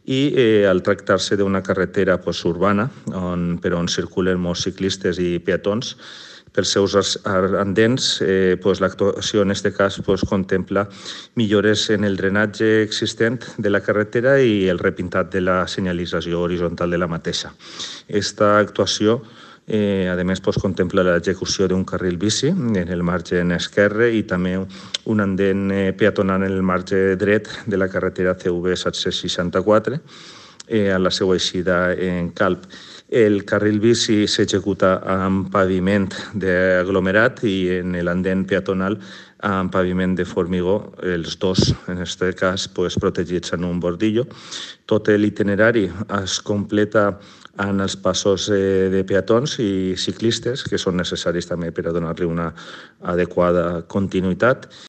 i al tractar-se d'una carretera urbana per on circulen molts ciclistes i peatons, pels seus andens, l'actuació en aquest cas contempla millores en el drenatge existent de la carretera i el repintat de la senyalització horitzontal de la mateixa. Aquesta actuació a més, contempla l'execució d'un carril bici en el marge esquerre i també un andén peatonal en el marge dret de la carretera CV 764 a la seva eixida en Calp. El carril bici s'executa amb paviment d'aglomerat i en l'andén peatonal amb paviment de formigó, els dos, en aquest cas, protegits en un bordillo. Tot l'itinerari es completa en els passos de peatons i ciclistes, que són necessaris també per a donar-li una adequada continuïtat.